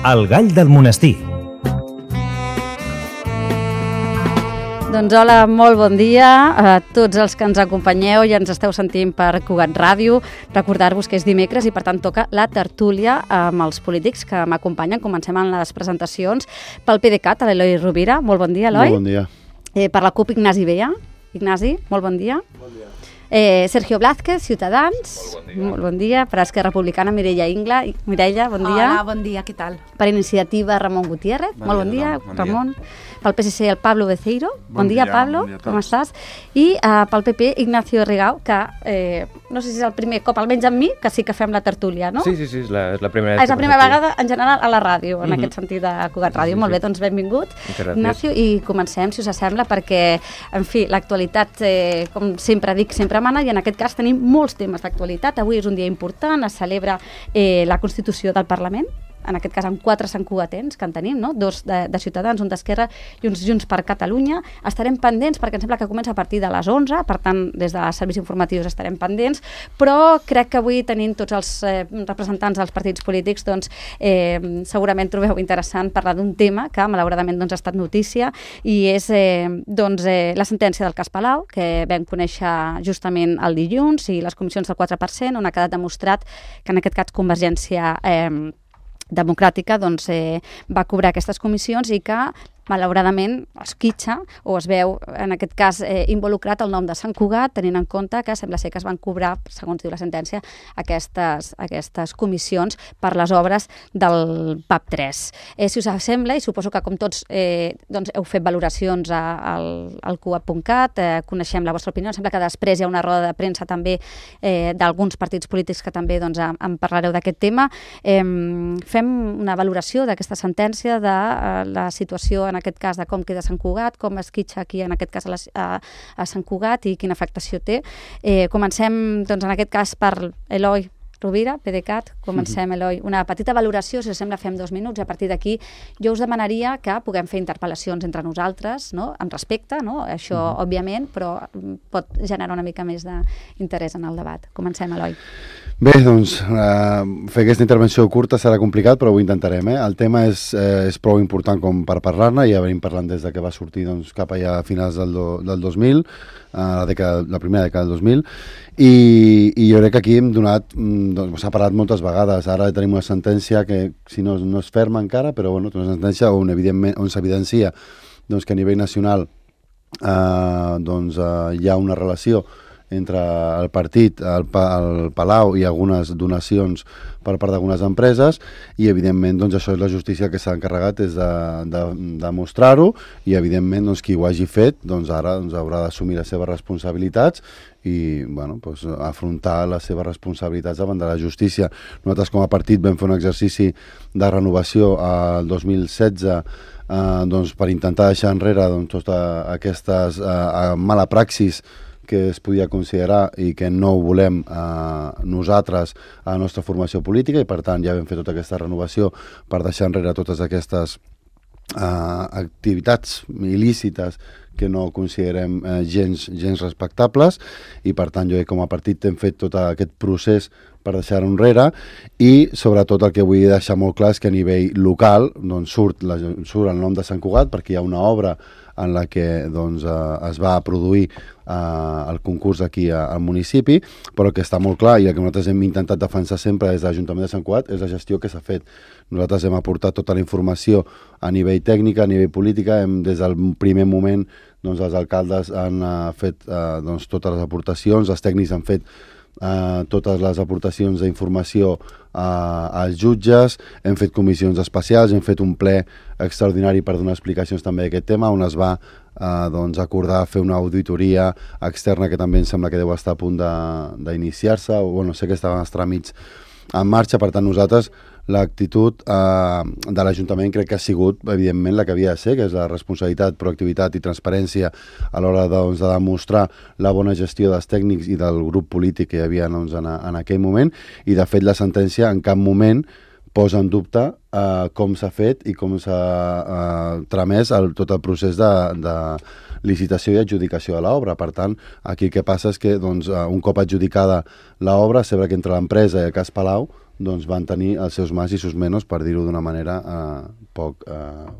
El gall del monestir. Doncs hola, molt bon dia a tots els que ens acompanyeu i ens esteu sentint per Cugat Ràdio. Recordar-vos que és dimecres i per tant toca la tertúlia amb els polítics que m'acompanyen. Comencem amb les presentacions pel PDeCAT, a l'Eloi Rovira. Molt bon dia, Eloi. Molt bon dia. Per la CUP, Ignasi Vella. Ignasi, molt bon dia. Bon dia. Sergio Blázquez, Ciutadans. Molt bon dia. Per Esquerra Republicana, Mireia Ingla. Mireia, bon dia. Hola, bon dia, què tal? Per Iniciativa, Ramon Gutiérrez. Molt bon dia, Ramon. Pel PSC, el Pablo Beceiro. Bon dia, Pablo. Com estàs? I pel PP, Ignacio Rigau, que no sé si és el primer cop, almenys amb mi, que sí que fem la tertúlia, no? Sí, és la primera És la primera vegada, en general, a la ràdio, en aquest sentit de Cugat Ràdio. Molt bé, doncs benvingut, Ignacio, i comencem, si us sembla, perquè, en fi, l'actualitat, com sempre dic, sempre mana, i en aquest cas tenim molts temes d'actualitat. Avui és un dia important, es celebra la Constitució del Parlament, en aquest cas amb 4 santcugatens que en tenim, no? 2 de Ciutadans, un d'Esquerra i uns Junts per Catalunya. Estarem pendents perquè em sembla que comença a partir de les 11, per tant, des de serveis informatius estarem pendents, però crec que avui tenint tots els representants dels partits polítics, doncs segurament trobeu interessant parlar d'un tema que malauradament doncs, ha estat notícia i és la sentència del cas Palau, que vam conèixer justament el dilluns, i les comissions del 4%, on ha quedat demostrat que en aquest cas Convergència Democràtica doncs, va cobrar aquestes comissions i que malauradament es quitxa o es veu en aquest cas involucrat el nom de Sant Cugat, tenint en compte que sembla ser que es van cobrar, segons diu la sentència, aquestes comissions per les obres del PAP3. Si us sembla, i suposo que com tots doncs heu fet valoracions al cugat.cat, coneixem la vostra opinió, sembla que després hi ha una roda de premsa també d'alguns partits polítics que també doncs, en parlareu d'aquest tema. Fem una valoració d'aquesta sentència, de la situació en aquest cas de com queda Sant Cugat, com es quitxa aquí en aquest cas a Sant Cugat i quina afectació té. Comencem doncs en aquest cas per Eloi Rovira, PDeCAT. Comencem, Eloi, una petita valoració, si us sembla fem 2 minuts, i a partir d'aquí jo us demanaria que puguem fer interpel·lacions entre nosaltres, no? Amb respecte, no? Això òbviament, però pot generar una mica més d'interès en el debat. Comencem, Eloi. Bé, doncs, fer aquesta intervenció curta serà complicat, però ho intentarem. El tema és prou important com per parlar-ne, ja venim parlant des de que va sortir doncs, cap allà a finals del 2000, la primera dècada del 2000, i jo crec que aquí hem donat, s'ha parlat moltes vegades, ara tenim una sentència que, si no és ferma encara, però bueno, una sentència on s'evidencia doncs, que a nivell nacional hi ha una relació entre el partit, el Palau i algunes donacions per part d'algunes empreses, i evidentment doncs, això és la justícia que s'ha encarregat és de demostrar-ho, i evidentment doncs, qui ho hagi fet doncs, ara doncs, haurà d'assumir les seves responsabilitats i bueno, doncs, afrontar les seves responsabilitats davant de la justícia. Nosaltres com a partit vam fer un exercici de renovació el 2016 doncs, per intentar deixar enrere doncs, totes aquestes mala praxis que es podia considerar i que no ho volem nosaltres a la nostra formació política, i per tant ja vam fer tota aquesta renovació per deixar enrere totes aquestes activitats il·lícites que no considerem gens respectables, i per tant jo com a partit hem fet tot aquest procés per deixar-ho enrere, i sobretot el que vull deixar molt clar és que a nivell local doncs, surt el nom de Sant Cugat perquè hi ha una obra en la que doncs, es va produir el concurs aquí al municipi, però que està molt clar, i el que nosaltres hem intentat defensar sempre des de l'Ajuntament de Sant Cugat és la gestió que s'ha fet. Nosaltres hem aportat tota la informació a nivell tècnic, a nivell política, des del primer moment doncs, els alcaldes han fet doncs, totes les aportacions, els tècnics han fet totes les aportacions d'informació als jutges, hem fet comissions especials, hem fet un ple extraordinari per donar explicacions també d'aquest tema, on es va doncs, acordar fer una auditoria externa que també em sembla que deu estar a punt d'iniciar-se, o bueno, sé que estaven els tràmits en marxa. Per tant, nosaltres l'actitud de l'Ajuntament crec que ha sigut, evidentment, la que havia de ser, que és la responsabilitat, proactivitat i transparència a l'hora doncs, de demostrar la bona gestió dels tècnics i del grup polític que hi havia doncs, en aquell moment, i de fet la sentència en cap moment posa en dubte com s'ha fet i com s'ha tramès tot el procés de licitació i adjudicació de l'obra. Per tant, aquí el que passa és que doncs, un cop adjudicada l'obra, sembla que entre l'empresa i el cas Palau doncs van tenir els seus más i sus menos, per dir-ho d'una manera poc,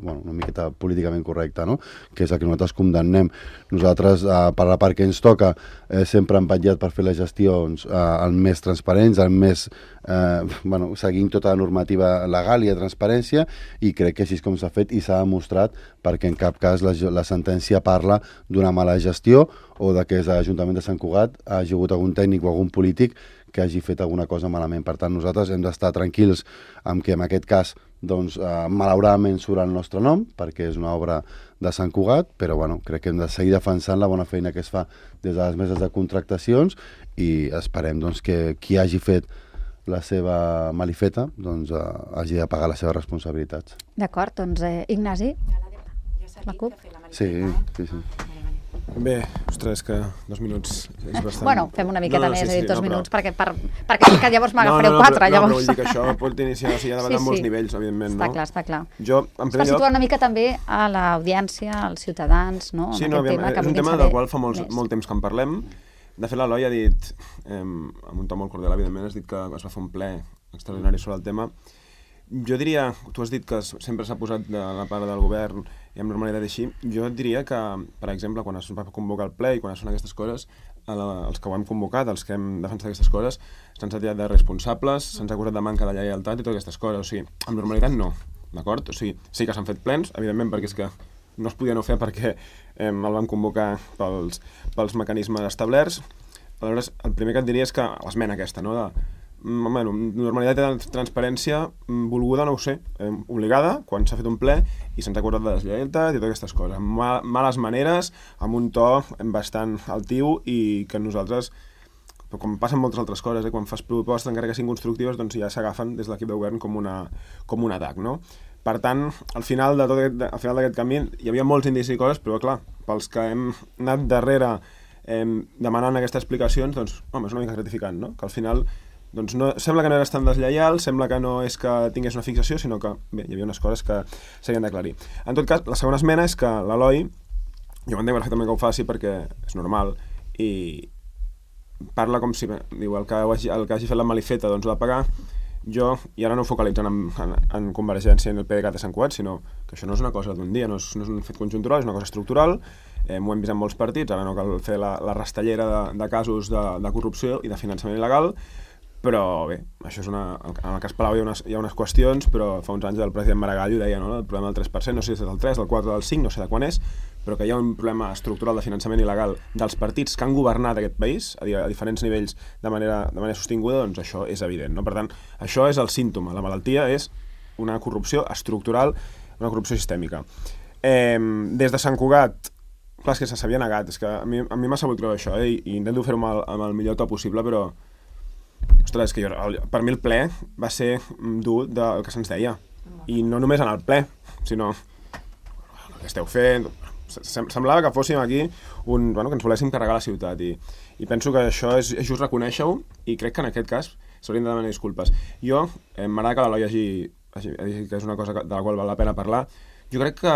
una miqueta políticament correcta, no? Que és el que nosaltres condemnem. Nosaltres, per la part que ens toca, sempre hem vetllat per fer les gestions el més transparents, el més seguint tota la normativa legal i de transparència, i crec que així és com s'ha fet i s'ha demostrat, perquè en cap cas la sentència parla d'una mala gestió o de que l'Ajuntament de Sant Cugat ha hagut algun tècnic o algun polític que hagi fet alguna cosa malament. Per tant, nosaltres hem d'estar tranquils amb que en aquest cas malauradament surt el nostre nom, perquè és una obra de Sant Cugat, però crec que hem de seguir defensant la bona feina que es fa des de les meses de contractacions i esperem que qui hagi fet la seva malifeta hagi de pagar les seves responsabilitats. D'acord, doncs Ignasi, la CUP. Sí. Bé, ostres, que 2 minuts és bastant... Bueno, fem una miqueta més, he dit 2 minuts, perquè que llavors m'agafareu 4. No, però vull dir que això pot iniciar, hi ha d'haver molts nivells, evidentment, no? Està clar. Jo, en primer lloc... situar una mica també a l'audiència, als ciutadans, no? Sí, no, és un tema del qual fa molt temps que en parlem. De fet, l'Eloi ha dit, amb un to molt cordial, evidentment, has dit que es va fer un ple extraordinari sobre el tema. Jo diria, tu has dit que sempre s'ha posat de la part del govern i amb normalitat així, jo et diria que, per exemple, quan es va convocar el ple i quan es fan aquestes coses, els que ho hem convocat, els que hem defensat aquestes coses, se'ns ha tirat de responsables, se'ns ha acusat de manca de lleialtat i totes aquestes coses. O sigui, amb normalitat no, d'acord? O sigui, sí que s'han fet plens, evidentment, perquè és que no es podia no fer perquè el vam convocar pels mecanismes establerts. Aleshores, el primer que et diria és que l'esmena aquesta, no?, normalitat i transparència volguda, no ho sé, obligada, quan s'ha fet un ple i se'ns ha acusat de deslleialtat i totes aquestes coses, amb males maneres, amb un to bastant altiu i que nosaltres, com passa amb moltes altres coses, quan fas propostes encara que siguin constructives, doncs ja s'agafen des de l'equip de govern com un atac, no? Per tant, al final d'aquest camí hi havia molts indicis i coses, però clar, pels que hem anat darrere demanant aquestes explicacions, doncs, home, és una mica gratificant, no? Que al final doncs no, sembla que no eres tan deslleial, sembla que no és que tingués una fixació, sinó que bé, hi havia unes coses que s'havien d'aclarir. En tot cas, la segona esmena és que l'Eloi, jo m'entenc perfectament que ho faci perquè és normal, i parla com si, diu, el que hagi fet la malifeta doncs ho ha de pagar. Jo, i ara no ho focalitzen en Convergència i en el PDeCAT de Sant Cugat, sinó que això no és una cosa d'un dia, no és un fet conjuntural, és una cosa estructural, ho hem vist en molts partits, ara no cal fer la rastellera de casos de corrupció i de finançament il·legal, però bé, això és en el cas Palau hi ha unes qüestions, però fa uns anys el president Maragall ho deia, no? El problema del 3%, no sé si és del 3, del 4, del 5, no sé de quan és, però que hi ha un problema estructural de finançament il·legal dels partits que han governat aquest país a diferents nivells de manera sostinguda, doncs això és evident, no? Per tant, això és el símptoma, la malaltia és una corrupció estructural, una corrupció sistèmica. Des de Sant Cugat, clar, és que s'havia negat, és que a mi m'ha sabut greu això, i intento fer-ho amb el millor to possible, però ostres, és que per mi el ple va ser dur del que se'ns deia. I no només en el ple, sinó el que esteu fent. Semblava que fóssim aquí que ens voléssim carregar la ciutat. I penso que això és just reconèixer-ho, i crec que en aquest cas s'haurien de demanar disculpes. Jo, m'agrada que l'Eloi hagi dit que és una cosa de la qual val la pena parlar. Jo crec que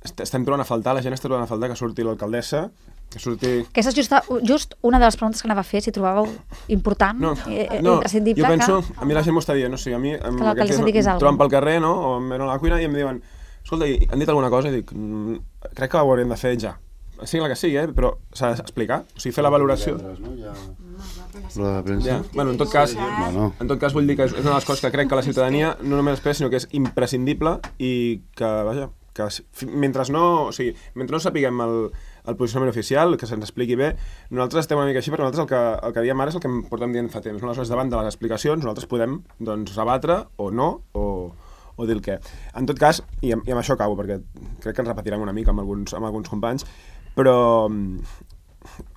estem trobant a faltar, la gent està trobant a faltar que surti l'alcaldessa, que surti... Aquesta és just una de les preguntes que anava a fer, si trobàveu important, imprescindible... Jo penso, a mi la gent m'ho està dient, no sé, a mi que l'alcaldessa digués alguna cosa. Trobant pel carrer, no?, o em venen a la cuina i em diuen, escolta, han dit alguna cosa? I dic, crec que ho hauríem de fer ja. Sigui la que sigui, però s'ha d'explicar, o sigui, fer la valoració. En tot cas vull dir que és una de les coses que crec que la ciutadania no només espera, sinó que és imprescindible i que, vaja, que mentre no sapiguem el posicionament oficial, que se'ns expliqui bé, nosaltres estem una mica així, perquè nosaltres el que diem ara és el que portem dient fa temps. Aleshores, davant de les explicacions, nosaltres podem rebatre o no, o dir el què. En tot cas, i amb això acabo, perquè crec que ens repetirem una mica amb alguns companys, però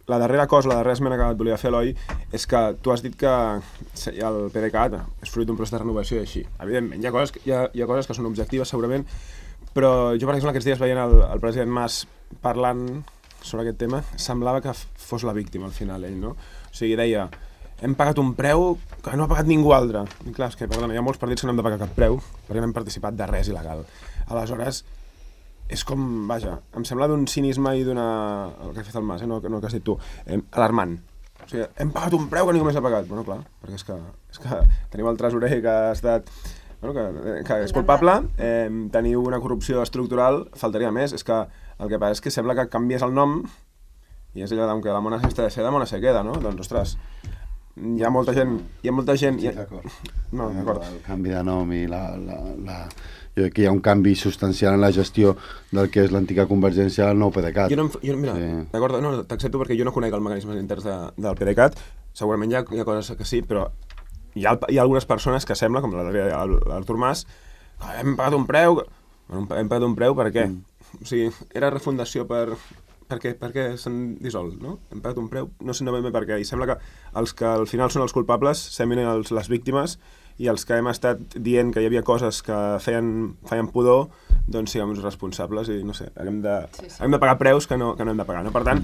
la darrera esmena que et volia fer, Eloi, és que tu has dit que el PDeCAT és fruit d'un procés de renovació i així. Evidentment, hi ha coses que són objectives, segurament, però jo, per exemple, aquests dies veient el president Mas parlant sobre aquest tema, semblava que fos la víctima al final, ell, no? O sigui, deia, hem pagat un preu que no ha pagat ningú altre. I clar, és que hi ha molts partits que no hem de pagar cap preu perquè no hem participat de res il·legal. Aleshores, és com, vaja, em sembla d'un cinisme i d'una... el que ha fet el Mas, no el que has dit tu, alarmant. O sigui, hem pagat un preu que ningú més ha pagat. Bueno, clar, perquè és que tenim el tresorer que ha estat... Bueno, que és culpable, teniu una corrupció estructural, faltaria més. És que el que passa és que sembla que canvies el nom i és allò que la mona s'està de seda, mona se queda, no? Doncs, ostres, hi ha molta gent... Sí, d'acord. No, d'acord. El canvi de nom i jo crec que hi ha un canvi substancial en la gestió del que és l'antiga Convergència al nou PDeCAT. Mira, d'acord, no, t'accepto perquè jo no conec els mecanismes interns del PDeCAT, segurament hi ha coses que sí, però hi ha algunes persones que sembla, com l'Artur Mas, que hem pagat un preu... Hem pagat un preu per què? O sigui, era refundació per què s'han dissolt, no? Hem pagat un preu, no sé ben bé per què, i sembla que els que al final són els culpables seminen les víctimes i els que hem estat dient que hi havia coses que feien pudor, doncs siguem uns responsables i, no sé, hem de pagar preus que no hem de pagar, no? Per tant,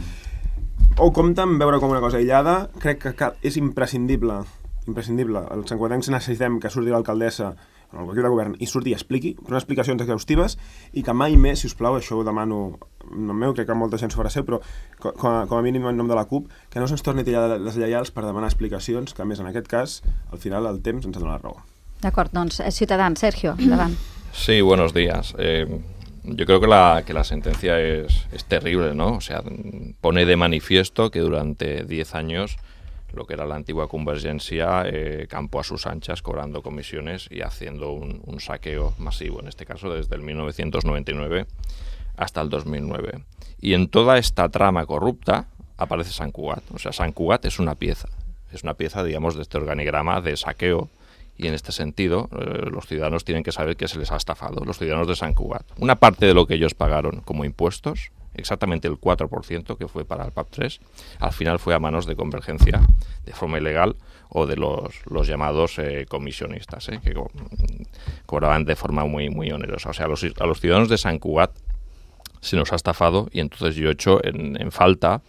o compte amb veure com una cosa aïllada, crec que és imprescindible, els santcugatencs necessitem que surti l'alcaldessa en el equip de govern i surti i expliqui, però unes explicacions exhaustives i que mai més, si us plau, això ho demano en nom meu, crec que molta gent s'ho farà seu, però com a mínim en nom de la CUP, que no se'ns torni a tirar les lleials per demanar explicacions, que a més en aquest cas, al final el temps ens ha donat la raó. D'acord, doncs Ciutadans, Sergio, endavant. Sí, buenos días. Yo creo que la sentencia es terrible, ¿no? O sea, pone de manifiesto que durante 10 años lo que era la antigua Convergencia campó a sus anchas cobrando comisiones y haciendo un saqueo masivo, en este caso desde el 1999 hasta el 2009. Y en toda esta trama corrupta aparece Sant Cugat. O sea, Sant Cugat es una pieza, digamos, de este organigrama de saqueo. Y en este sentido, los ciudadanos tienen que saber que se les ha estafado, los ciudadanos de Sant Cugat. Una parte de lo que ellos pagaron como impuestos, exactamente el 4% que fue para el PAP3, al final fue a manos de Convergencia, de forma ilegal, o de los llamados comisionistas, que cobraban de forma muy, muy onerosa. O sea, a los ciudadanos de Sant Cugat se nos ha estafado y entonces yo he hecho en falta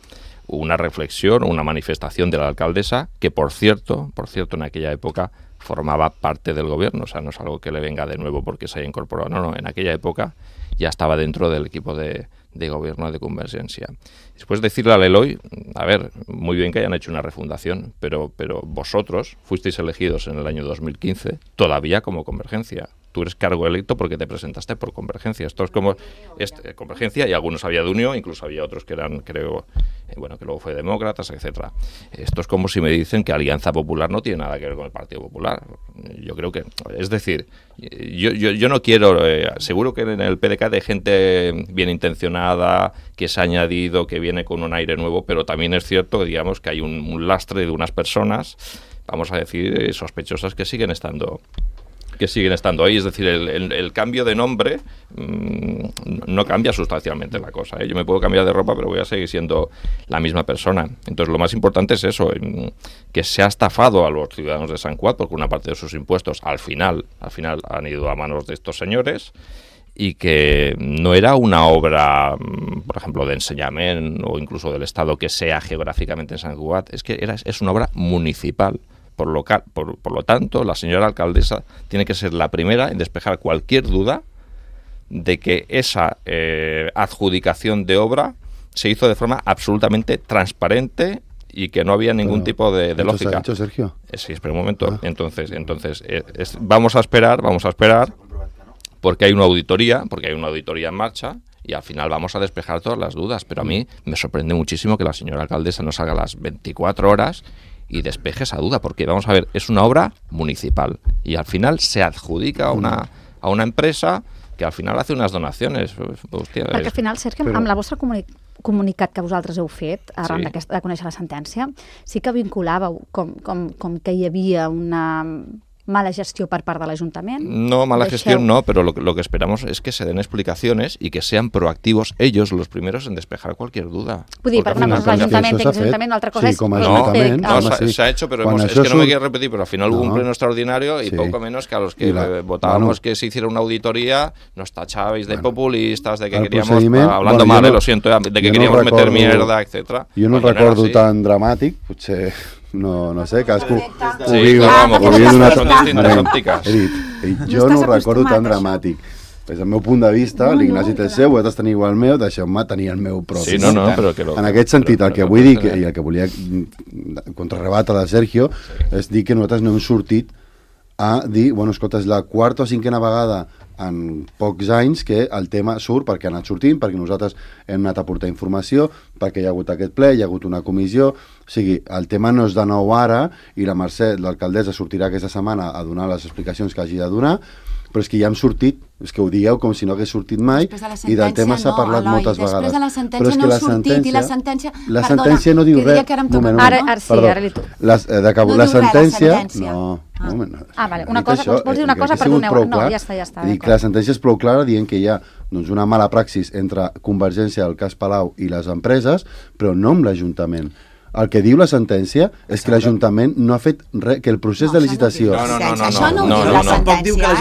una reflexión, una manifestación de la alcaldesa, que por cierto, en aquella época formaba parte del gobierno, o sea, no es algo que le venga de nuevo porque se haya incorporado, no, en aquella época ya estaba dentro del equipo de gobierno de Convergencia. Después decirle al Eloy, a ver, muy bien que hayan hecho una refundación, pero vosotros fuisteis elegidos en el año 2015 todavía como Convergencia. Tú eres cargo electo porque te presentaste por Convergencia. Esto es como Convergencia, y algunos había de Unión, incluso había otros que eran, creo, que luego fue Demócratas, etcétera. Esto es como si me dicen que Alianza Popular no tiene nada que ver con el Partido Popular. Yo creo que, es decir, yo no quiero, seguro que en el PDeCAT hay gente bien intencionada, que se ha añadido, que viene con un aire nuevo, pero también es cierto, digamos, que hay un lastre de unas personas, vamos a decir, sospechosas, que siguen estando ahí. Es decir, el cambio de nombre no cambia sustancialmente la cosa, Yo me puedo cambiar de ropa, pero voy a seguir siendo la misma persona. Entonces, lo más importante es eso, que se ha estafado a los ciudadanos de Sant Cugat, porque una parte de sus impuestos al final han ido a manos de estos señores, y que no era una obra, por ejemplo, de enseñamiento o incluso del Estado que sea geográficamente en Sant Cugat, es una obra municipal. Por lo tanto, la señora alcaldesa tiene que ser la primera en despejar cualquier duda de que esa adjudicación de obra se hizo de forma absolutamente transparente y que no había ningún tipo de lógica. ¿Ha dicho Sergio? Sí, espera un momento. Entonces vamos a esperar, porque hay una auditoría en marcha, y al final vamos a despejar todas las dudas. Pero a mí me sorprende muchísimo que la señora alcaldesa no salga a las 24 horas y despeje esa duda, porque vamos a ver, es una obra municipal y al final se adjudica a una empresa que al final hace unes donacions. Hòstia, perquè al final, Sergio, amb la vostra comunicat que vosaltres heu fet arran de conèixer la sentència, sí que vinculàveu com que hi havia una mala gestión por parte del Ayuntamiento. No, mala gestión no, pero lo que esperamos es que se den explicaciones y que sean proactivos ellos los primeros en despejar cualquier duda. Vull dir, perquè una cosa és l'Ajuntament, una altra cosa és... Se ha hecho, pero es que no me quiero repetir, pero al final hubo un pleno extraordinario y poco menos que a los que votábamos que se hiciera una auditoría, nos tachabais de populistas, de que queríamos, hablando mal, lo siento, de que queríamos meter mierda, etc. Jo no recordo tan dramàtic, potser... No sé, cadascú ho viu d'una jo no ho recordo tan dramàtic, Des del meu punt de vista, l'Ignasi té el seu, vosaltres teniu el meu, deixeu-me tenir el meu propi. Sí, no, però que en aquest sentit, el que vull dir, i el que volia contrarrebatre de Sergio, és dir que nosaltres no hem sortit a dir, bueno, escolta, és la quarta o cinquena vegada en pocs anys que el tema surt perquè ha anat sortint, perquè nosaltres hem anat a portar informació, perquè hi ha hagut aquest ple, hi ha hagut una comissió, o sigui, el tema no és de nou ara i la Mercè, l'alcaldessa, sortirà aquesta setmana a donar les explicacions que hagi de donar, però és que ja hem sortit, és que ho dieu com si no hagués sortit mai, i del tema s'ha parlat moltes vegades. Després de la sentència no ha sortit, i la sentència... La sentència no diu res. Ara sí, ara li tu. La sentència... No, vale, una cosa, vols dir una cosa, perdoneu. No, ja està. Dic que la sentència és prou clara dient que hi ha una mala praxis entre Convergència, el cas Palau i les empreses, però no amb l'Ajuntament. El que diu la sentència és que l'Ajuntament no ha fet res, que el procés de licitació... Això no ho diu la sentència.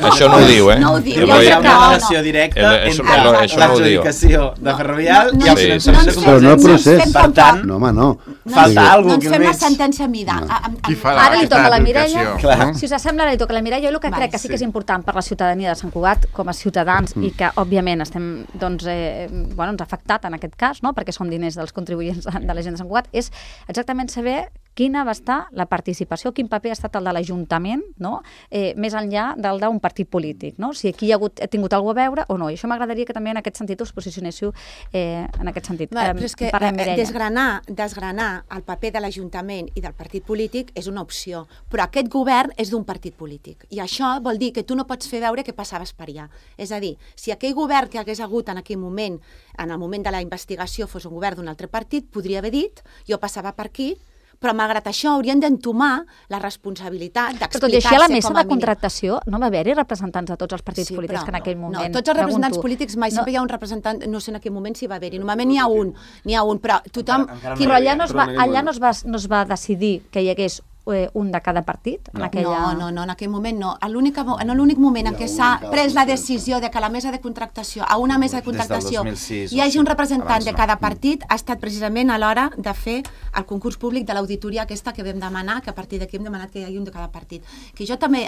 Això no ho diu, No ho diu. Hi ha una relació directa entre l'adjudicació de Ferrovial i el finançament de Convergència. Però no el procés. Per tant, no, home, no. Falta alguna cosa que fem la sentència a mida. Ara li toca a la Mireia. Si us sembla, ara li toca a la Mireia. Jo el que crec que sí que és important per la ciutadania de Sant Cugat, com a ciutadans, i que, òbviament, estem, doncs, ens ha afectat en aquest cas, perquè són diners dels contribuents de la gent de Sant Cugat, és exactament saber quina va estar la participació, quin paper ha estat el de l'Ajuntament, més enllà del d'un partit polític, si aquí ha tingut alguna cosa a veure o no. I això m'agradaria que també en aquest sentit us posicionéssiu en aquest sentit. Però és que desgranar el paper de l'Ajuntament i del partit polític és una opció, però aquest govern és d'un partit polític. I això vol dir que tu no pots fer veure que passaves per allà. És a dir, si aquell govern que hagués hagut en aquell moment, en el moment de la investigació, fos un govern d'un altre partit, podria haver dit, jo passava per aquí, però malgrat això haurien d'entomar la responsabilitat d'explicar-se com a mínim. Però tot i així a la mesa de contractació no va haver-hi representants de tots els partits polítics que en aquell moment... No, tots els representants polítics mai sempre hi ha un representant, no sé en aquell moment si va haver-hi, normalment n'hi ha un, però tothom... Però allà no es va decidir que hi hagués un de cada partit? No, en aquell moment no. En l'únic moment en què s'ha pres la decisió de que la mesa de contractació, a una mesa de contractació, hi hagi un representant de cada partit, ha estat precisament a l'hora de fer el concurs públic de l'auditoria aquesta que vam demanar, que a partir d'aquí hem demanat que hi hagi un de cada partit. Que jo també,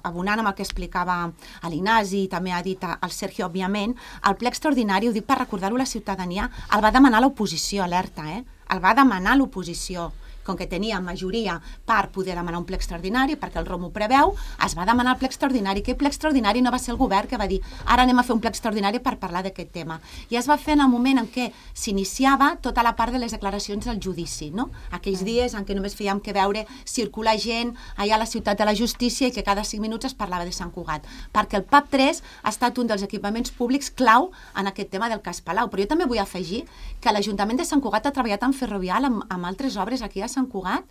abonant amb el que explicava l'Ignasi i també ha dit el Sergio, òbviament, el ple extraordinari, ho dic per recordar-ho a la ciutadania, el va demanar l'oposició, alerta, el va demanar l'oposició. Com que tenia majoria per poder demanar un ple extraordinari, perquè el ROM ho preveu, es va demanar el ple extraordinari. Aquell ple extraordinari no va ser el govern que va dir ara anem a fer un ple extraordinari per parlar d'aquest tema. I es va fer en el moment en què s'iniciava tota la part de les declaracions del judici, no? Aquells dies en què només fèiem que veure circular gent allà a la ciutat de la justícia i que cada 5 minuts es parlava de Sant Cugat. Perquè el PAP 3 ha estat un dels equipaments públics clau en aquest tema del cas Palau. Però jo també vull afegir que l'Ajuntament de Sant Cugat ha treballat en Ferrovial amb altres obres aquí a Sant Cugat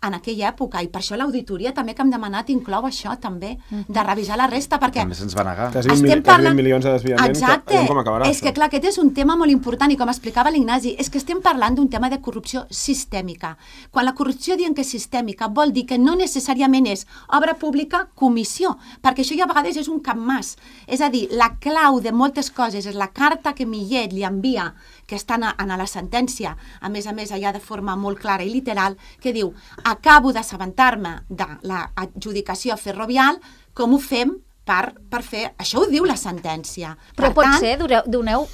en aquella època, i per això l'auditoria també que hem demanat inclou això també, de revisar la resta, perquè també se'ns va negar. Quasi 20 milions de desviament. Exacte, com acabarà, és que clar, aquest és un tema molt important i com explicava l'Ignasi, és que estem parlant d'un tema de corrupció sistèmica. Quan la corrupció diem que és sistèmica vol dir que no necessàriament és obra pública, comissió, perquè això ja a vegades és un capmàs. És a dir, la clau de moltes coses és la carta que Millet li envia, que està en la sentència, a més allà de forma molt clara i literal, que diu acabo d'assabentar-me de l'adjudicació ferrovial, com ho fem per fer... Això ho diu la sentència. Però pot ser, doneu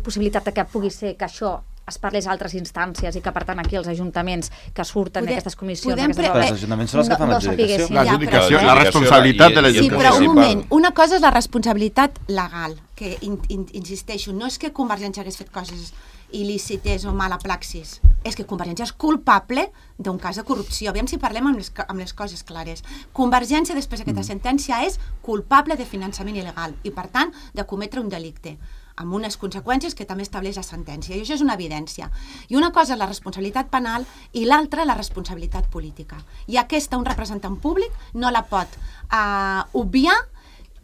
possibilitat que pugui ser que això es parlés a altres instàncies i que, per tant, aquí els ajuntaments que surten d'aquestes comissions... Però els ajuntaments són els que fan l'adjudicació. La responsabilitat de l'Ajuntament. Sí, però un moment. Una cosa és la responsabilitat legal, que, insisteixo, no és que Convergència hagués fet coses il·lícites o mala praxis, és que Convergència és culpable d'un cas de corrupció. Aviam si parlem amb les coses clares. Convergència, després d'aquesta sentència, és culpable de finançament il·legal i, per tant, de cometre un delicte, amb unes conseqüències que també estableix la sentència. I això és una evidència. I una cosa és la responsabilitat penal i l'altra la responsabilitat política. I aquesta un representant públic no la pot obviar.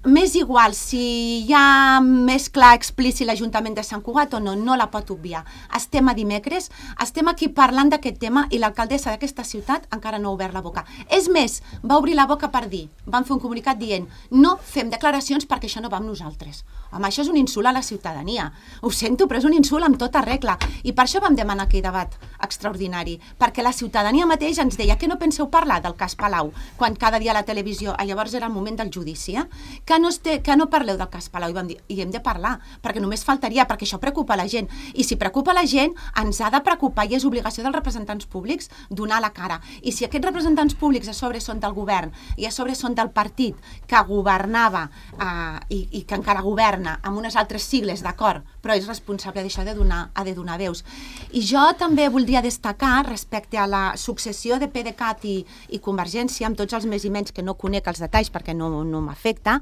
M'és igual si hi ha més clar explícit l'Ajuntament de Sant Cugat o no, no la pot obviar. Estem a dimecres, estem aquí parlant d'aquest tema i l'alcaldessa d'aquesta ciutat encara no ha obert la boca. És més, va obrir la boca per dir, van fer un comunicat dient no fem declaracions perquè això no va amb nosaltres. Home, això és un insult a la ciutadania. Ho sento, però és un insult amb tota regla. I per això vam demanar aquell debat extraordinari, perquè la ciutadania mateix ens deia que no penseu parlar del cas Palau, quan cada dia a la televisió, llavors era el moment del judici, que que no parleu del cas Palau? I vam dir, i hem de parlar, perquè només faltaria, perquè això preocupa la gent. I si preocupa la gent, ens ha de preocupar i és obligació dels representants públics donar la cara. I si aquests representants públics a sobre són del govern i a sobre són del partit que governava i que encara governa amb unes altres sigles, d'acord, però és responsable d'això de donar veus. I jo també voldria destacar respecte a la successió de PDeCAT i Convergència, amb tots els més i menys que no conec els detalls perquè no m'afecta,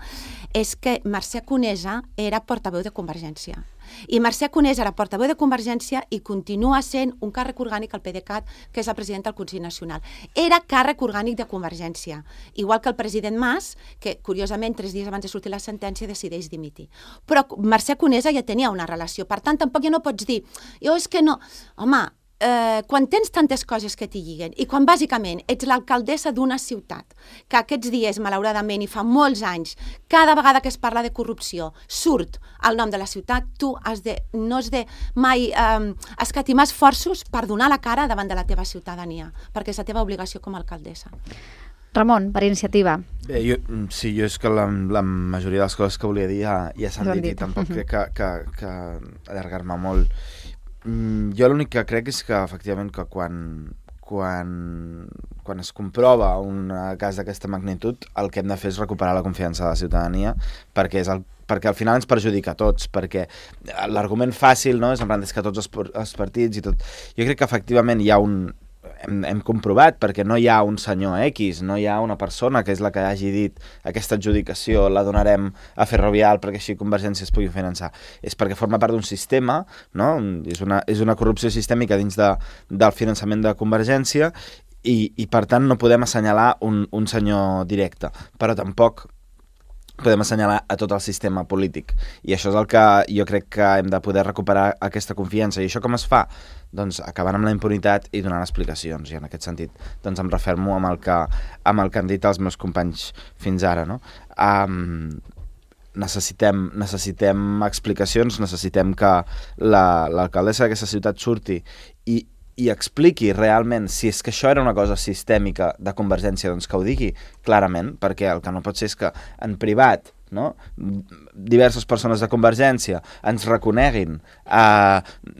és que Mercè Conesa era portaveu de Convergència. I Mercè Conesa era portaveu de Convergència i continua sent un càrrec orgànic al PDeCAT, que és el president del Consell Nacional. Era càrrec orgànic de Convergència, igual que el president Mas, que curiosament 3 dies abans de sortir la sentència decideix dimitir. Però Mercè Conesa ja tenia una relació, per tant tampoc ja no pots dir, jo és que no... Home, quan tens tantes coses que t'hi lliguen i quan bàsicament ets l'alcaldessa d'una ciutat que aquests dies, malauradament, i fa molts anys, cada vegada que es parla de corrupció surt el nom de la ciutat, tu no has de mai escatimar esforços per donar la cara davant de la teva ciutadania, perquè és la teva obligació com a alcaldessa. Ramon, per iniciativa. Bé, jo és que la majoria de les coses que volia dir ja s'han dit i tampoc crec que allargar-me molt. Jo l'únic que crec és que, efectivament, que quan es comprova un cas d'aquesta magnitud, el que hem de fer és recuperar la confiança de la ciutadania, perquè al final ens perjudica a tots, perquè l'argument fàcil, no?, és en plan, és que tots els partits i tot... Jo crec que, efectivament, hi ha hem comprovat, perquè no hi ha un senyor X, no hi ha una persona que és la que hagi dit aquesta adjudicació la donarem a Ferrovial perquè així Convergència es pugui finançar. És perquè forma part d'un sistema, no? És una corrupció sistèmica dins del finançament de Convergència i per tant no podem assenyalar un senyor directe, però tampoc podem assenyalar a tot el sistema polític. I això és el que jo crec que hem de poder recuperar aquesta confiança. I això com es fa? Doncs acabant amb la impunitat i donant explicacions. I en aquest sentit doncs em refermo amb el que han dit els meus companys fins ara, no? Necessitem explicacions, necessitem que l'alcaldessa d'aquesta ciutat surti i expliqui realment si és que això era una cosa sistèmica de Convergència, doncs que ho digui clarament, perquè el que no pot ser és que en privat, no?, diverses persones de Convergència ens reconeguin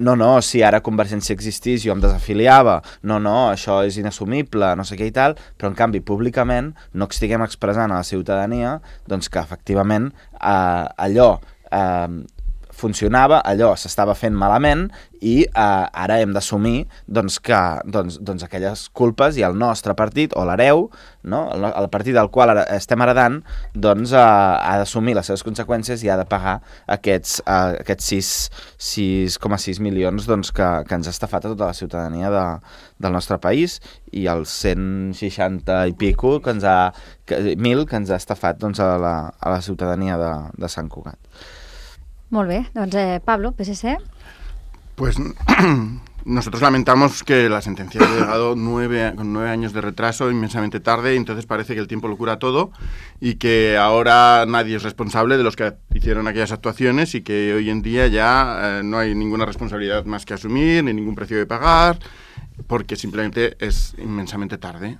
no, si ara Convergència existís jo em desafiliava, no, això és inassumible, no sé què i tal, però en canvi públicament no estiguem expressant a la ciutadania doncs que efectivament allò funcionava, allò s'estava fent malament i ara hem d'assumir doncs, que aquelles culpes i el nostre partit, o l'hereu, no? El partit del qual estem heredant, doncs ha d'assumir les seves conseqüències i ha de pagar aquests 6,6 milions doncs, que ens ha estafat a tota la ciutadania del nostre país i els 160 i pico que ens ha estafat doncs, a la ciutadania de Sant Cugat. Molt bé, doncs Pablo, PSC. Pues nosotros lamentamos que la sentencia ha llegado con 9 años de retraso, inmensamente tarde, y entonces parece que el tiempo lo cura todo y que ahora nadie es responsable de los que hicieron aquellas actuaciones y que hoy en día ya no hay ninguna responsabilidad más que asumir, ni ningún precio que pagar, porque simplemente es inmensamente tarde.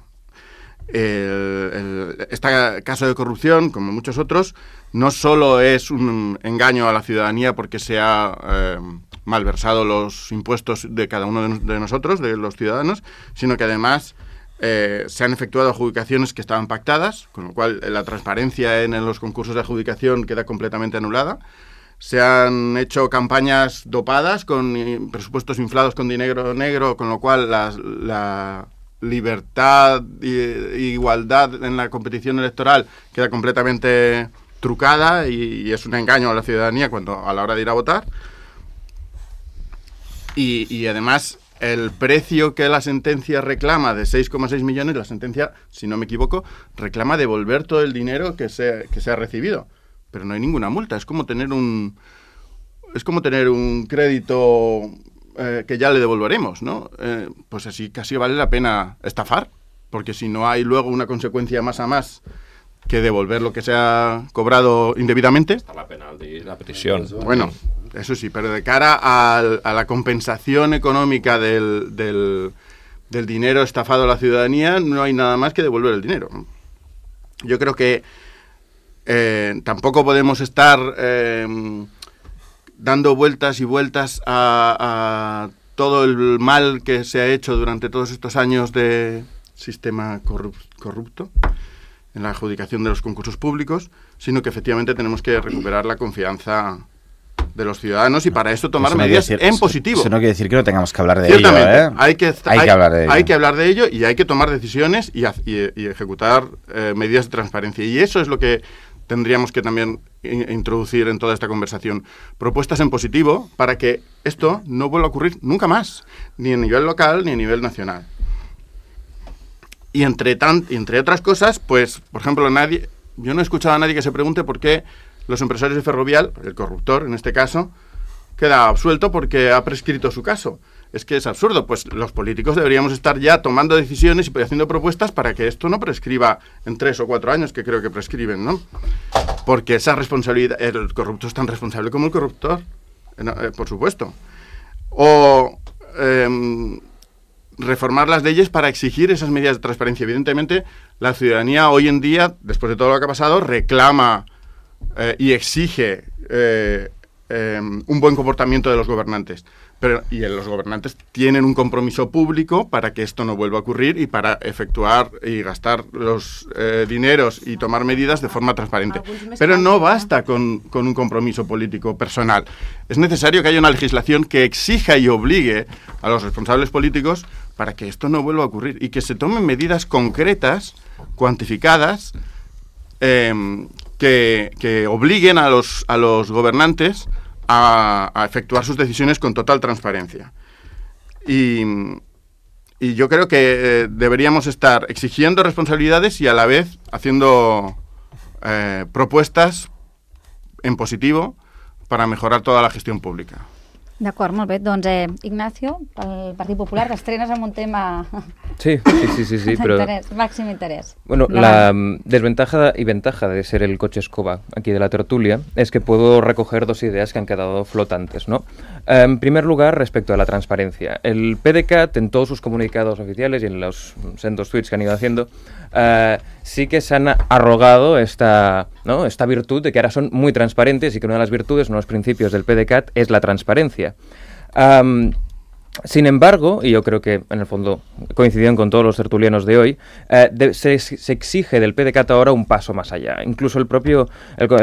Este caso de corrupción, como muchos otros, no solo es un engaño a la ciudadanía porque se ha malversado los impuestos de cada uno de nosotros, de los ciudadanos, sino que además se han efectuado adjudicaciones que estaban pactadas, con lo cual la transparencia en los concursos de adjudicación queda completamente anulada. Se han hecho campañas dopadas con presupuestos inflados con dinero negro, con lo cual la libertad e igualdad en la competición electoral queda completamente trucada y es un engaño a la ciudadanía a la hora de ir a votar. Y además el precio que la sentencia reclama de 6,6 millones, la sentencia, si no me equivoco, reclama devolver todo el dinero que se ha recibido. Pero no hay ninguna multa, es como tener un crédito que ya le devolveremos, ¿no? Pues así casi vale la pena estafar, porque si no hay luego una consecuencia más a más que devolver lo que se ha cobrado indebidamente. Está la penal de la prisión. Bueno, eso sí, pero de cara a la compensación económica del dinero estafado a la ciudadanía, no hay nada más que devolver el dinero. Yo creo que tampoco podemos estar dando vueltas y vueltas a todo el mal que se ha hecho durante todos estos años de sistema corrupto en la adjudicación de los concursos públicos, sino que efectivamente tenemos que recuperar la confianza de los ciudadanos y para eso tomar medidas en positivo. Eso no quiere decir que no tengamos que hablar de ello, ¿eh? Hay que hablar de ello y hay que tomar decisiones y ejecutar medidas de transparencia. Y eso es lo que tendríamos que también introducir en toda esta conversación. Propuestas en positivo para que esto no vuelva a ocurrir nunca más, ni a nivel local ni a nivel nacional. Y entre otras cosas, pues, por ejemplo, yo no he escuchado a nadie que se pregunte por qué los empresarios de Ferrovial, el corruptor en este caso, queda absuelto porque ha prescrito su caso. Es que es absurdo, pues los políticos deberíamos estar ya tomando decisiones y haciendo propuestas para que esto no prescriba en 3 o 4 años, que creo que prescriben, ¿no? Porque esa responsabilidad, el corrupto es tan responsable como el corruptor, por supuesto. O reformar las leyes para exigir esas medidas de transparencia. Evidentemente, la ciudadanía hoy en día, después de todo lo que ha pasado, reclama y exige un buen comportamiento de los gobernantes. Y los gobernantes tienen un compromiso público para que esto no vuelva a ocurrir y para efectuar y gastar los dineros y tomar medidas de forma transparente. Pero no basta con un compromiso político personal. Es necesario que haya una legislación que exija y obligue a los responsables políticos para que esto no vuelva a ocurrir y que se tomen medidas concretas, cuantificadas, que obliguen a los gobernantes a efectuar sus decisiones con total transparencia. Y yo creo que deberíamos estar exigiendo responsabilidades y a la vez haciendo propuestas en positivo para mejorar toda la gestión pública. D'acord, molt bé. Doncs, Ignacio, pel Partit Popular, t'estrenes amb un tema... Sí, pero... máximo interés. Bueno, la desventaja y ventaja de ser el coche escoba aquí de la tertulia es que puedo recoger 2 ideas que han quedado flotantes, ¿no? En primer lugar, respecto a la transparencia. El PDCAT, en todos sus comunicados oficiales y en los sendos tweets que han ido haciendo, sí que se han arrogado esta virtud de que ahora son muy transparentes y que una de las virtudes, uno de los principios del PDCAT es la transparencia. Sin embargo, y yo creo que en el fondo coincidieron con todos los tertulianos de hoy, se exige del PDCAT ahora un paso más allá. Incluso el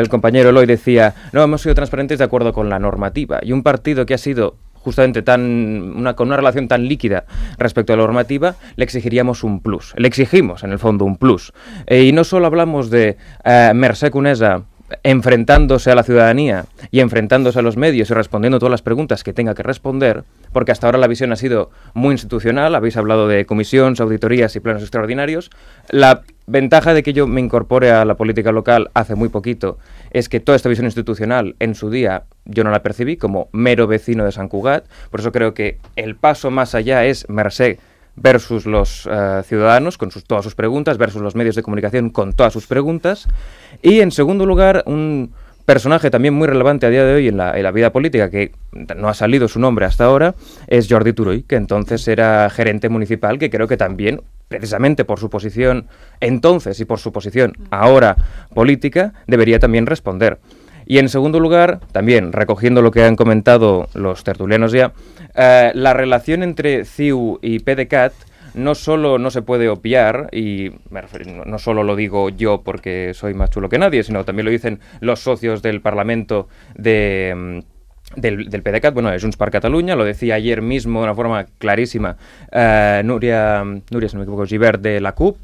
compañero Eloy decía, no, hemos sido transparentes de acuerdo con la normativa. Y un partido que ha sido justamente con una relación tan líquida respecto a la normativa, le exigiríamos un plus. Le exigimos, en el fondo, un plus. Y no solo hablamos de Mercè Conesa enfrentándose a la ciudadanía y enfrentándose a los medios y respondiendo todas las preguntas que tenga que responder, porque hasta ahora la visión ha sido muy institucional, habéis hablado de comisiones, auditorías y planos extraordinarios. La ventaja de que yo me incorpore a la política local hace muy poquito es que toda esta visión institucional en su día yo no la percibí como mero vecino de Sant Cugat, por eso creo que el paso más allá es Mercè versus los ciudadanos con todas sus preguntas, versus los medios de comunicación con todas sus preguntas. Y en segundo lugar, un personaje también muy relevante a día de hoy en la vida política, que no ha salido su nombre hasta ahora, es Jordi Turull, que entonces era gerente municipal, que creo que también, precisamente por su posición entonces y por su posición ahora política, debería también responder. Y en segundo lugar, también recogiendo lo que han comentado los tertulianos ya, la relación entre CiU y PDCAT no solo no se puede obviar, y no solo lo digo yo porque soy más chulo que nadie, sino también lo dicen los socios del Parlamento del PDCAT, bueno, es Junts per Catalunya, lo decía ayer mismo de una forma clarísima Núria, si no me equivoco, Gibert de la CUP.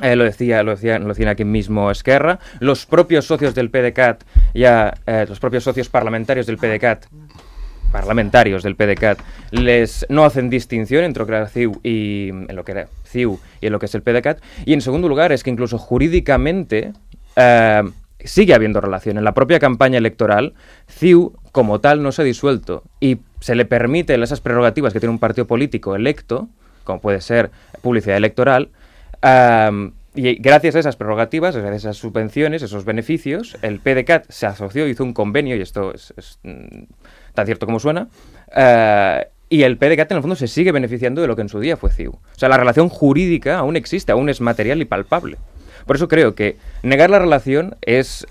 Lo decían aquí mismo Esquerra, los propios socios del PDCAT, los propios socios parlamentarios del PDCAT, no hacen distinción entre lo que era CiU y en lo que es el PDCAT. Y en segundo lugar es que incluso jurídicamente sigue habiendo relación. En la propia campaña electoral, CiU como tal no se ha disuelto y se le permiten esas prerrogativas que tiene un partido político electo, como puede ser publicidad electoral. Y gracias a esas prerrogativas, gracias a esas subvenciones, esos beneficios, el PDCAT se asoció, hizo un convenio, y esto es tan cierto como suena, y el PDCAT en el fondo se sigue beneficiando de lo que en su día fue CiU. O sea, la relación jurídica aún existe, aún es material y palpable. Por eso creo que negar la relación es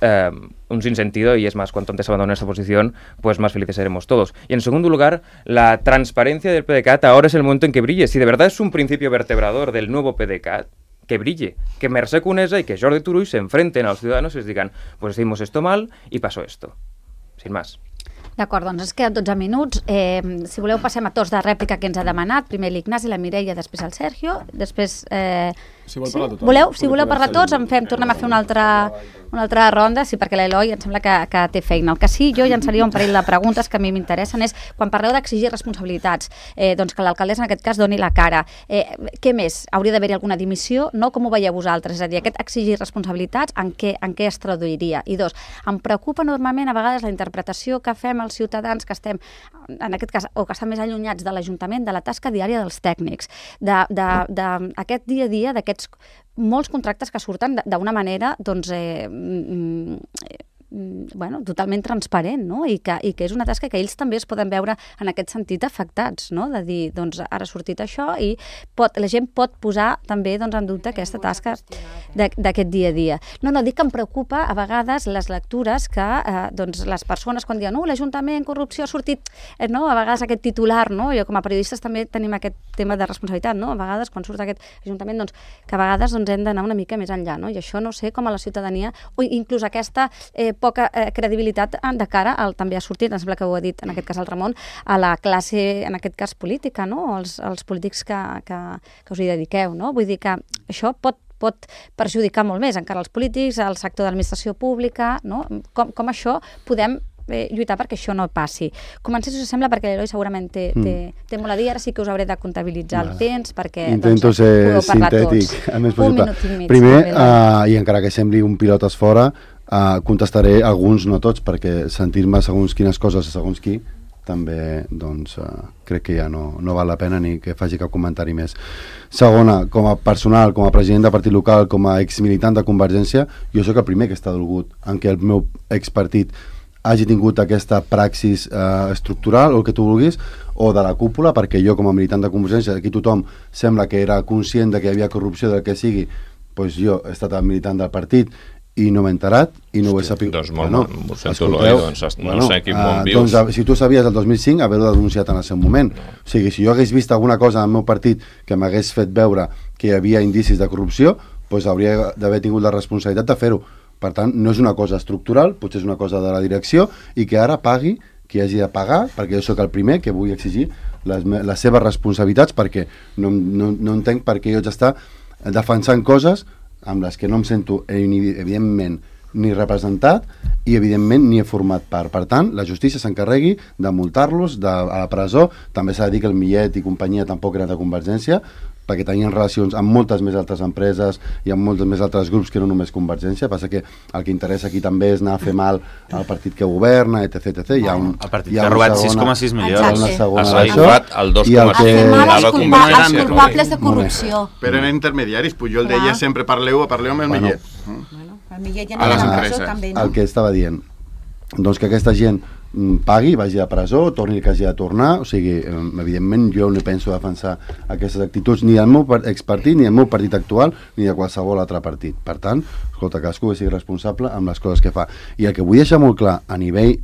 un sinsentido y es más, cuanto antes abandonen esta posición, pues más felices seremos todos. Y en segundo lugar, la transparencia del PDeCAT ahora es el momento en que brille. Si de verdad es un principio vertebrador del nuevo PDeCAT, que brille, que Mercè Conesa y que Jordi Turull se enfrenten a los ciudadanos y les digan, pues hicimos esto mal y pasó esto. Sin más. D'acord, doncs ens queden 12 minuts. Si voleu passem a torns de rèplica que ens ha demanat. Primer l'Ignasi, la Mireia, després el Sergio. Després... Si vol parlar tothom. Si voleu parlar tots, tornem a fer una altra ronda, sí, perquè l'Eloi em sembla que té feina. El que sí, jo llançaria un parell de preguntes que a mi m'interessen és, quan parleu d'exigir responsabilitats, doncs que l'alcaldessa en aquest cas doni la cara. Què més? Hauria d'haver-hi alguna dimissió? No? Com ho veieu vosaltres? És a dir, aquest exigir responsabilitats, en què es traduiria? I dos, em preocupa enormement a vegades la interpretació que fem els ciutadans que estem, en aquest cas, o que estan més allunyats de l'Ajuntament, de la tasca diària dels tècnics, d'aquest dia a dia, d'aquests molts contractes que surten d'una manera, doncs, totalment transparent, no? I que és una tasca que ells també es poden veure en aquest sentit afectats, no? De dir, doncs, ara ha sortit això i la gent pot posar també en dubte aquesta tasca d'aquest dia a dia. No, dic que em preocupa a vegades les lectures que les persones quan diuen l'Ajuntament, corrupció, ha sortit, no? A vegades aquest titular, no? Jo com a periodistes també tenim aquest tema de responsabilitat, no? A vegades quan surt aquest Ajuntament, doncs, que a vegades hem d'anar una mica més enllà, no? I això no sé com a la ciutadania, o inclús aquesta poca credibilitat de cara al, també ha sortit, em sembla que ho ha dit en aquest cas el Ramon, a la classe, en aquest cas política, no? Els polítics que us hi dediqueu, no? Vull dir que això pot perjudicar molt més encara els polítics, el sector de l'administració pública, no? Com això podem lluitar perquè això no passi. Comencem, si us sembla, perquè l'Eloi segurament té molt a dir, ara sí que us hauré de comptabilitzar el temps, perquè intento ser sintètic el més possible. Primer, i encara que sembli un pilotes fora, contestaré alguns, no tots, perquè sentir-me segons quines coses, segons qui, també, doncs, crec que ja no val la pena ni que faci cap comentari més. Segona, com a personal, com a president de partit local, com a exmilitant de Convergència, jo sóc el primer que està dolgut en què el meu expartit hagi tingut aquesta praxis estructural, o el que tu vulguis, o de la cúpula, perquè jo com a militant de Convergència, aquí tothom sembla que era conscient de que hi havia corrupció, del que sigui, doncs jo he estat militant del partit i no m'he enterat i no ho he sabut. Doncs molt sento, no sé quin món vius. Doncs si tu sabies el 2005 haver-ho denunciat en el seu moment. O sigui, si jo hagués vist alguna cosa en el meu partit que m'hagués fet veure que hi havia indicis de corrupció, doncs hauria d'haver tingut la responsabilitat de fer-ho. Per tant, no és una cosa estructural, potser és una cosa de la direcció, i que ara pagui qui hagi de pagar, perquè jo sóc el primer que vull exigir les seves responsabilitats, perquè no entenc per què jo haig d'estar defensant coses amb les que no em sento, evidentment, ni representat i, evidentment, ni he format part. Per tant, la justícia s'encarregui de multar-los a la presó. També s'ha de dir que el Millet i companyia tampoc eren de Convergència, perquè tenien relacions amb moltes més altres empreses i amb molts més altres grups que no només Convergència. Passa que el que interessa aquí també és anar a fer mal al partit que governa, etc. El partit que ha robat 6,6 milions. S'ha robat el 2,6. A fer mal als culpables de corrupció. Però eren intermediaris, Pujol deia sempre parleu amb el Millet. El Millet ja no era a la presó, també, no? El que estava dient, doncs que aquesta gent pagui, vagi a presó, torni el que hagi de tornar, o sigui, evidentment jo no penso defensar aquestes actituds ni del meu expartit, ni del meu partit actual, ni de qualsevol altre partit. Per tant, escolta, cadascú sigui responsable amb les coses que fa. I el que vull deixar molt clar a nivell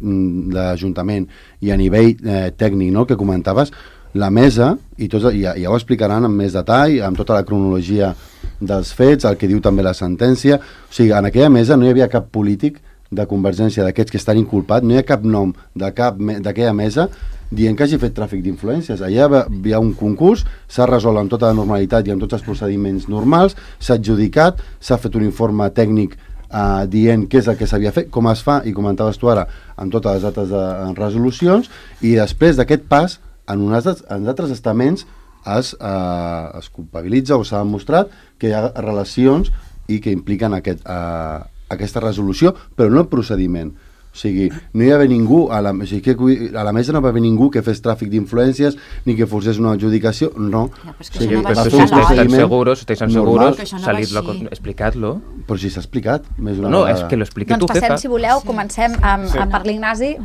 d'Ajuntament i a nivell tècnic, no?, que comentaves, la mesa, i tots, ja ho explicaran amb més detall, amb tota la cronologia dels fets, el que diu també la sentència, o sigui, en aquella mesa no hi havia cap polític de Convergència, d'aquests que estan inculpats, no hi ha cap nom d'aquella mesa dient que hagi fet tràfic d'influències. Allà hi ha un concurs, s'ha resolt amb tota la normalitat i amb tots els procediments normals, s'ha adjudicat, s'ha fet un informe tècnic dient què és el que s'havia fet, com es fa, i comentaves tu ara, amb totes les dates de resolucions, i després d'aquest pas, en altres estaments es culpabilitza o s'ha demostrat que hi ha relacions i que impliquen aquesta resolució, però no el procediment. O O sigui, no hi va haver ningú, a la mesa no va haver ningú que fes tràfic d'influències ni que forcés una adjudicació, no. Estáis seguros, explicad-lo. Però si s'ha explicat. No, és que lo expliqui tu, Jefa. Passem, si voleu, comencem per l'Ignasi,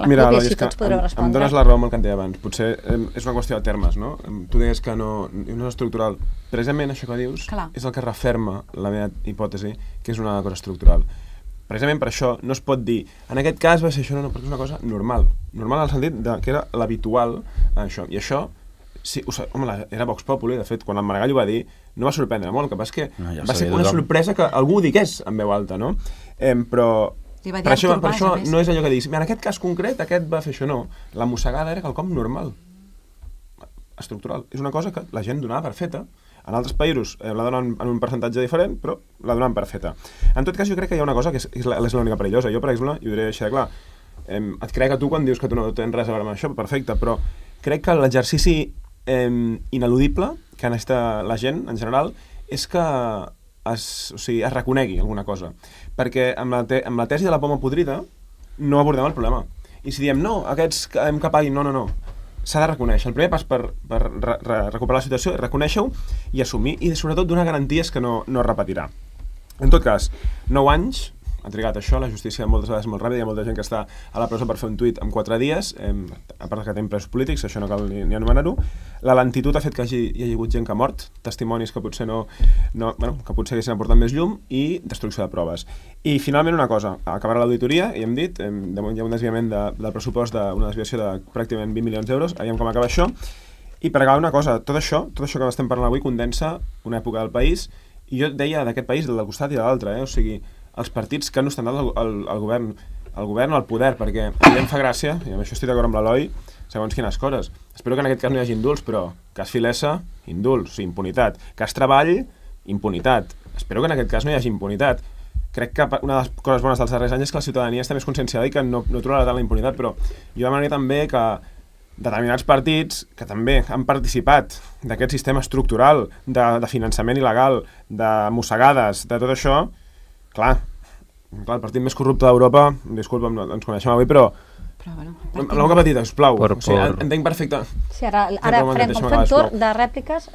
Mira, així tots podreu respondre. Em dones la raó amb el que em deia abans. Potser és una qüestió de termes, no? Tu deies que no és estructural. Precisament això que dius és el que referma la meva hipòtesi, que és una cosa estructural. Precisament per això no es pot dir en aquest cas va ser això, no, perquè és una cosa normal en el sentit que era l'habitual això, i això sí, era Vox Populi, de fet quan el Maragall ho va dir no va sorprendre molt, el que passa és que va ser una sorpresa que algú ho digués en veu alta, no? Però per això no és allò que diguis, en aquest cas concret aquest va fer això, no, la mossegada era quelcom normal, estructural, és una cosa que la gent donava per feta. En altres països la donen en un percentatge diferent, però la donen per feta. En tot cas, jo crec que hi ha una cosa que és l'única perillosa. Jo, per exemple, i ho diré així de clar, et crec que tu quan dius que tu no tens res a veure amb això, perfecte, però crec que l'exercici ineludible que necessita la gent, en general, és que es reconegui alguna cosa. Perquè amb la tesi de la poma podrida no abordem el problema. I si diem, no, aquests que paguin, no, s'ha de reconèixer. El primer pas per recuperar la situació és reconèixer-ho i assumir, i sobretot donar garanties que no es repetirà. En tot cas, 9 anys ha trigat això, la justícia moltes vegades molt ràpida, hi ha molta gent que està a la presó per fer un tuit en 4 dies, a part que tenim presos polítics, això no cal ni anomenar-ho. La lentitud ha fet que hi hagi hagut gent que ha mort, testimonis que potser que potser haguessin aportat més llum, i destrucció de proves. I finalment una cosa, acabarà l'auditoria, i hem dit, hi ha un desviament del pressupost, una desviació de pràcticament 20 milions d'euros, aviam com acaba això, i per acabar una cosa, tot això que estem parlant avui condensa una època del país, i jo deia d'aquest país, del costat i de l'altre, o sigui, els partits que han ostentat el govern o el poder, perquè a mi em fa gràcia, i amb això estic d'acord amb l'Eloi, segons quines coses. Espero que en aquest cas no hi hagi indults, però cas Filesa, indults, impunitat. Cas Treball, impunitat. Espero que en aquest cas no hi hagi impunitat. Crec que una de les coses bones dels darrers anys és que la ciutadania està més conscienciada i que no trobarà tant la impunitat, però jo demanaria també que determinats partits que també han participat d'aquest sistema estructural de finançament il·legal, de mossegades, de tot això. Clar, el partit més corrupte d'Europa, disculpa, ens coneixem avui, però amb la boca petita, sisplau. Entenc perfecte. Sí, ara farem un torn de rèpliques.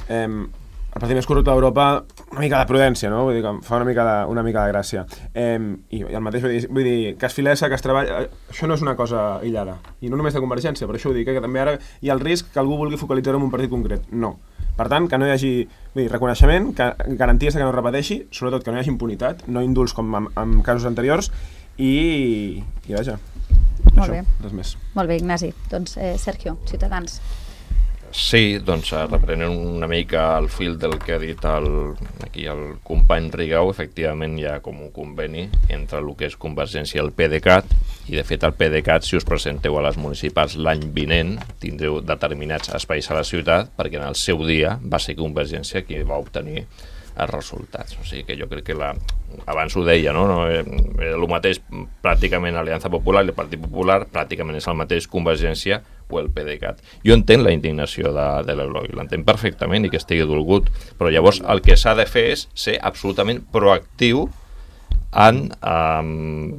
El partit més corrupte d'Europa, una mica de prudència, no? Vull dir que fa una mica de gràcia. I el mateix, vull dir, cas Filesa, cas Treball, això no és una cosa aïllada. I no només de Convergència, per això ho dic, que també ara hi ha el risc que algú vulgui focalitzar-ho en un partit concret. No. Per tant, que no hi hagi reconeixement, garanties que no es repeteixi, sobretot que no hi hagi impunitat, no indults com en casos anteriors, i vaja, molt bé. Res més. Molt bé, Ignasi. Doncs Sergio, Ciutadans. Sí, doncs reprenent una mica el fil del que ha dit aquí el company Rigau, efectivament hi ha com un conveni entre el que és Convergència i el PDeCAT, i de fet el PDeCAT, si us presenteu a les municipals l'any vinent, tindreu determinats espais a la ciutat, perquè en el seu dia va ser Convergència qui va obtenir els resultats. O sigui que jo crec que abans ho deia, no? Era el mateix pràcticament Aliança Popular i el Partit Popular, pràcticament és el mateix Convergència o el PDeCAT. Jo entenc la indignació de l'Eloi, l'entenc perfectament i que estigui dolgut, però llavors el que s'ha de fer és ser absolutament proactiu en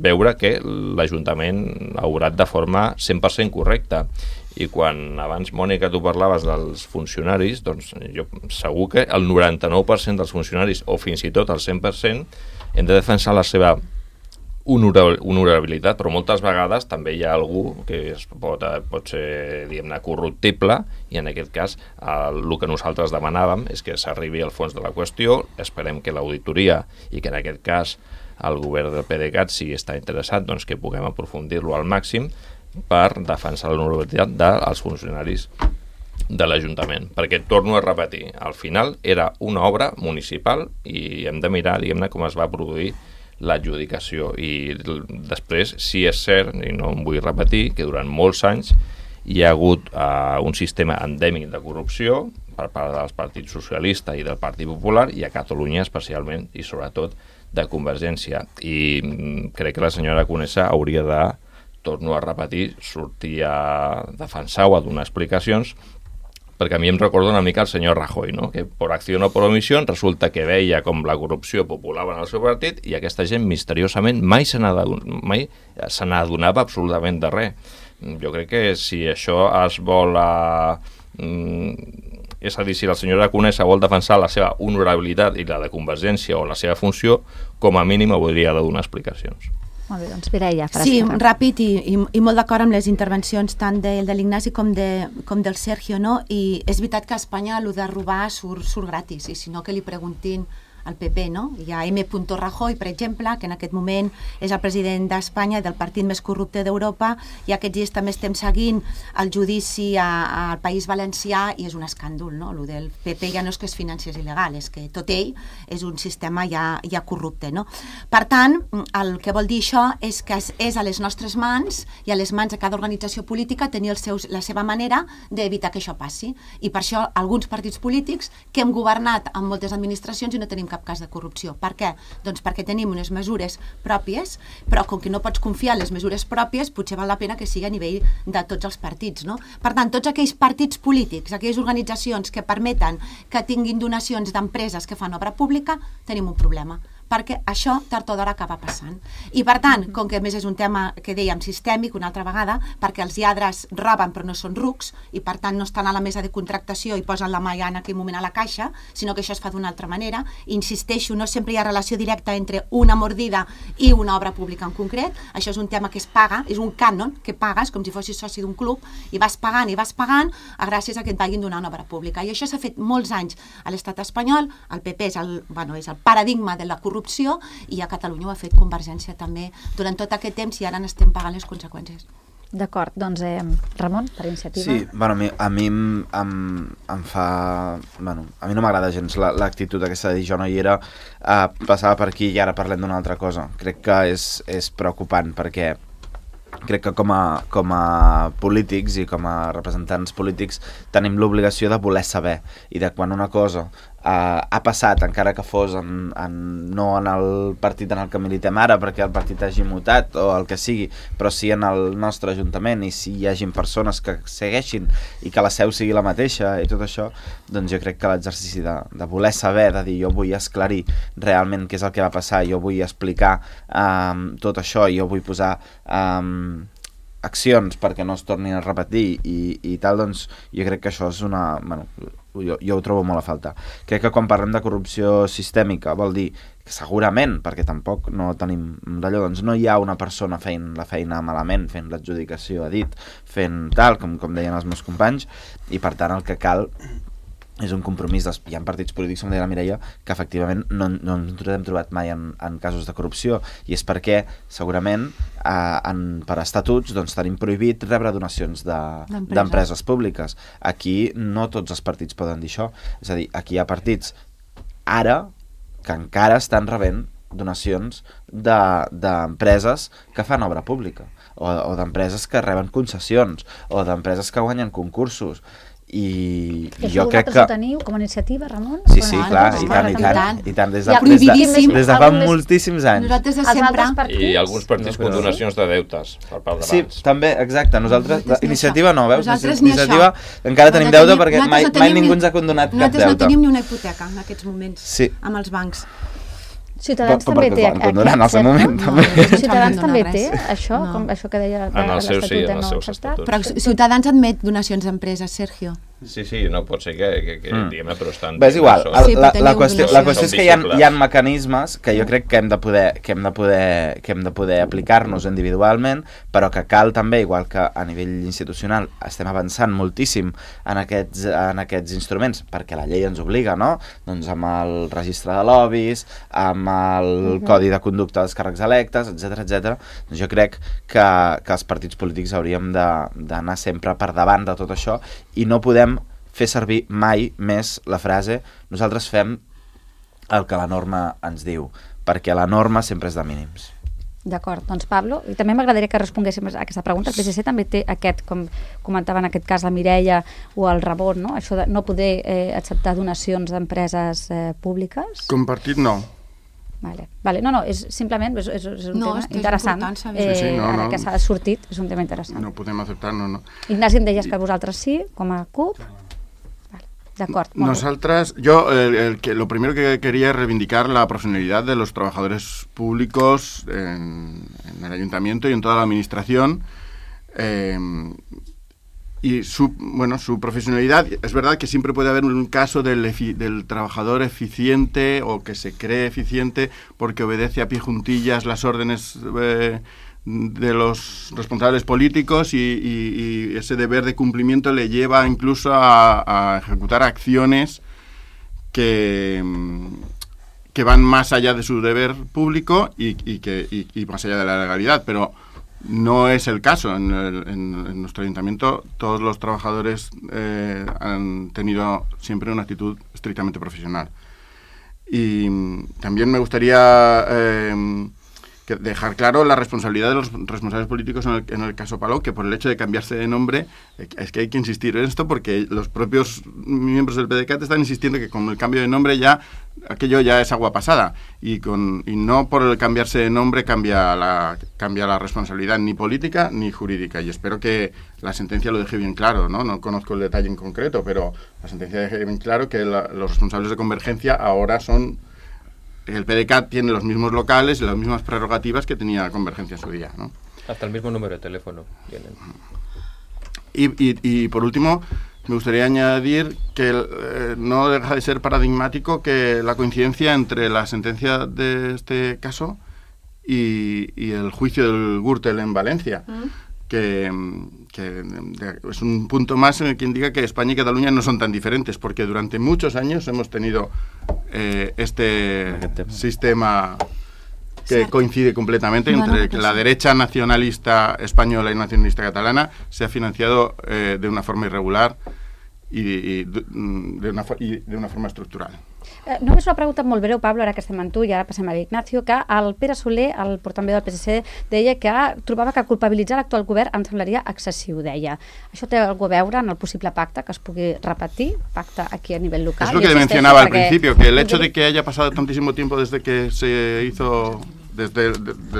veure que l'Ajuntament ha obrat de forma 100% correcta. I quan abans, Mònica, tu parlaves dels funcionaris, doncs jo segur que el 99% dels funcionaris, o fins i tot el 100%, hem de defensar la seva honorabilitat, però moltes vegades també hi ha algú que pot ser, diguem-ne, corruptible, i en aquest cas el que nosaltres demanàvem és que s'arribi al fons de la qüestió. Esperem que l'auditoria, i que en aquest cas el govern del PDeCAT, si està interessat, doncs que puguem aprofundir-lo al màxim per defensar l'honorabilitat dels funcionaris de l'Ajuntament, perquè torno a repetir, al final era una obra municipal i hem de mirar, diguem-ne, com es va produir l'adjudicació, i després, si és cert, i no em vull repetir, que durant molts anys hi ha hagut un sistema endèmic de corrupció per part dels partits socialista i del Partit Popular, i a Catalunya especialment, i sobretot de Convergència, i crec que la senyora Conesa hauria de, torno a repetir, sortir a defensar o a donar explicacions perquè a mi em recorda una mica el senyor Rajoy, no? Que per acció o per omissió resulta que veia com la corrupció populava en el seu partit i aquesta gent misteriosament mai se n'adonava absolutament de res. Jo crec que si això es vol... és a dir, si la senyora Conesa vol defensar la seva honorabilitat i la de Convergència o la seva funció, com a mínim hauria de donar explicacions. Molt bé, doncs Mireia. Sí, ràpid i molt d'acord amb les intervencions tant de l'Ignasi com del Sergio, no? I és veritat que a Espanya el de robar surt gratis, i si no que li preguntin al PP, no? Hi ha M. Rajoy, per exemple, que en aquest moment és el president d'Espanya, del partit més corrupte d'Europa, i aquests dies també estem seguint el judici al País Valencià i és un escàndol, no? El del PP ja no és que es financiés il·legal, és que tot ell és un sistema ja corrupte, no? Per tant, el que vol dir això és que és a les nostres mans i a les mans de cada organització política tenir la seva manera d'evitar que això passi. I per això alguns partits polítics que hem governat en moltes administracions i no tenim cap cas de corrupció. Per què? Doncs perquè tenim unes mesures pròpies, però com que no pots confiar en les mesures pròpies, potser val la pena que sigui a nivell de tots els partits, no? Per tant, tots aquells partits polítics, aquelles organitzacions que permeten que tinguin donacions d'empreses que fan obra pública, tenim un problema, perquè això tard o d'hora acaba passant. I per tant, com que a més és un tema que dèiem sistèmic una altra vegada, perquè els lladres roben però no són rucs i per tant no estan a la mesa de contractació i posen la mà ja en aquell moment a la caixa, sinó que això es fa d'una altra manera. Insisteixo, no sempre hi ha relació directa entre una mordida i una obra pública en concret. Això és un tema que es paga, és un cànon que pagues com si fossis soci d'un club i vas pagant gràcies a que et vagin donant obra pública. I això s'ha fet molts anys a l'estat espanyol. El PP és el paradigma de la corrupció i a Catalunya ho ha fet Convergència també durant tot aquest temps i ara n'estem pagant les conseqüències. D'acord, doncs Ramon, per iniciativa. Sí, bueno, a mi em fa... Bueno, a mi no m'agrada gens l'actitud aquesta de dir jo no hi era, passava per aquí i ara parlem d'una altra cosa. Crec que és preocupant perquè crec que com a polítics i com a representants polítics tenim l'obligació de voler saber i de quan una cosa ha passat, encara que fos no en el partit en el que militem ara perquè el partit hagi mutat o el que sigui, però sí en el nostre ajuntament i si hi hagin persones que segueixin i que la seu sigui la mateixa i tot això, doncs jo crec que l'exercici de voler saber, de dir jo vull esclarir realment què és el que va passar, jo vull explicar tot això, jo vull posar accions perquè no es tornin a repetir i tal, doncs jo crec que això és una... Bueno, jo ho trobo molt a falta. Crec que quan parlem de corrupció sistèmica vol dir que segurament, perquè tampoc no tenim d'allò, doncs no hi ha una persona fent la feina malament, fent l'adjudicació a dit, fent tal, com deien els meus companys, i per tant el que cal és un compromís. Hi ha partits polítics, com deia la Mireia, que efectivament no ens hem trobat mai en casos de corrupció, i és perquè segurament per estatuts doncs, tenim prohibit rebre donacions d'empreses públiques. Aquí no tots els partits poden dir això, és a dir, aquí hi ha partits ara que encara estan rebent donacions d'empreses que fan obra pública o d'empreses que reben concessions o d'empreses que guanyen concursos. I jo crec que... ho teniu com a iniciativa, Ramon? Sí, clar, i tant, des de fa moltíssims anys. Nosaltres de sempre... I alguns partits amb donacions de deutes per part de bancs. Sí, també, exacte. Nosaltres, iniciativa no, veus? Iniciativa encara tenim deute perquè mai ningú ens ha condonat cap deute. Nosaltres no tenim ni una hipoteca en aquests moments amb els bancs. Ciutadans també té Ciutadans també té això, com això que deia de l'Estatut de no acceptat. Però Ciutadans admet donacions d'empreses, Sergio. Sí, no pot ser que diguem-ne, però estan... És igual, la qüestió és que hi ha mecanismes que jo crec que hem de poder aplicar-nos individualment, però que cal també, igual que a nivell institucional estem avançant moltíssim en aquests instruments, perquè la llei ens obliga, no? Doncs amb el registre de lobbies, amb el codi de conducta dels càrrecs electes, etc. Doncs jo crec que els partits polítics hauríem d'anar sempre per davant de tot això i no podem fer servir mai més la frase nosaltres fem el que la norma ens diu, perquè la norma sempre és de mínims. D'acord, doncs Pablo, i també m'agradaria que responguéssim a aquesta pregunta. El PSC també té aquest, com comentava en aquest cas la Mireia o el Ramon, no? Això de no poder acceptar donacions d'empreses públiques? Com partit no. Vale. No, és simplement és un tema interessant. Ara que s'ha sortit, és un tema interessant. No podem acceptar, no. Ignasi, em deies que vosaltres sí, com a CUP? D'acord. Nosotras, lo primero que quería es reivindicar la profesionalidad de los trabajadores públicos en el ayuntamiento y en toda la administración. Y su profesionalidad, es verdad que siempre puede haber un caso del trabajador eficiente o que se cree eficiente porque obedece a pie juntillas las órdenes de los responsables políticos y ese deber de cumplimiento le lleva incluso a ejecutar acciones que van más allá de su deber público y más allá de la legalidad, pero no es el caso. En nuestro ayuntamiento todos los trabajadores han tenido siempre una actitud estrictamente profesional. Y también me gustaría dejar claro la responsabilidad de los responsables políticos en el caso Palau, que por el hecho de cambiarse de nombre, es que hay que insistir en esto porque los propios miembros del PDeCAT están insistiendo que con el cambio de nombre aquello ya es agua pasada y no por el cambiarse de nombre cambia la responsabilidad ni política ni jurídica, y espero que la sentencia lo deje bien claro, no conozco el detalle en concreto, pero la sentencia deje bien claro que los responsables de Convergencia ahora son... El PDeCAT tiene los mismos locales y las mismas prerrogativas que tenía Convergencia en su día, ¿no? Hasta el mismo número de teléfono tienen. Y por último, me gustaría añadir que no deja de ser paradigmático que la coincidencia entre la sentencia de este caso y el juicio del Gürtel en Valencia, que es un punto más en el que indica que España y Cataluña no son tan diferentes, porque durante muchos años hemos tenido este sistema que coincide completamente entre que la derecha nacionalista española y nacionalista catalana se ha financiado de una forma irregular y de una forma estructural. Només una pregunta molt breu, Pablo, ara que estem amb tu i ara passem a l'Ignacio, que el Pere Soler, el portaveu del PSC, deia que trobava que culpabilitzar l'actual govern em semblaria excessiu, deia. Això té alguna a veure en el possible pacte que es pugui repetir, pacte aquí a nivell local? Es lo que mencionaba al principio, que el hecho de que haya pasado tantísimo tiempo desde que se hizo... Desde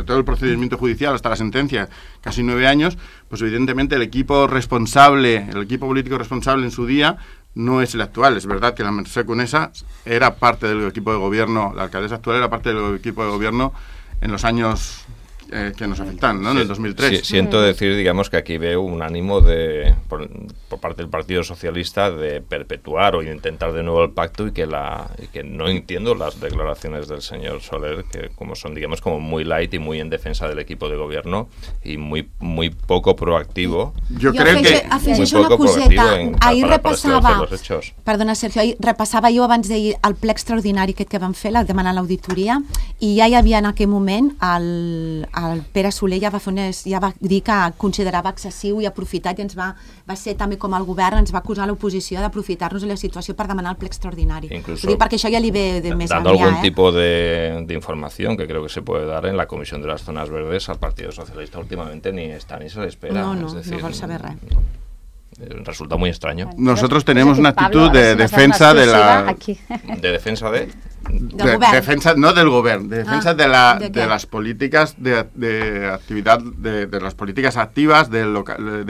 todo el procedimiento judicial hasta la sentencia, casi 9 años, pues evidentemente el equipo político responsable en su día no es el actual. Es verdad que la Mercè Conesa era parte del equipo de gobierno, la alcaldesa actual era parte del equipo de gobierno en los años que nos afectan, ¿no? En el 2003. Siento decir, digamos, que aquí veo un ánimo por parte del Partido Socialista de perpetuar o intentar de nuevo el pacto y que no entiendo las declaraciones del señor Soler, que como son, digamos, como muy light y muy en defensa del equipo de gobierno y muy poco proactivo. Yo creo que afegeixo una coseta. Ahir repassava, perdona Sergio, ahir repassava jo abans d'ahir el ple extraordinari que vam fer, demanant l'auditoria, i ja hi havia en aquell moment el Pere Soler ja va dir que considerava excessiu i aprofitat, i va ser també com el govern, ens va acusar l'oposició d'aprofitar-nos de la situació per demanar el ple extraordinari. Incluso perquè això ja li ve de més dando algún tipo de información que creo que se puede dar en la Comisión de las Zonas Verdes al Partido Socialista últimamente ni está ni se le espera. No vol saber res. Resulta muy extraño. Nosotros tenemos una actitud de defensa de la... ¿De defensa de? Defensa, no del gobierno, de defensa de las políticas de actividad, de las políticas activas del local.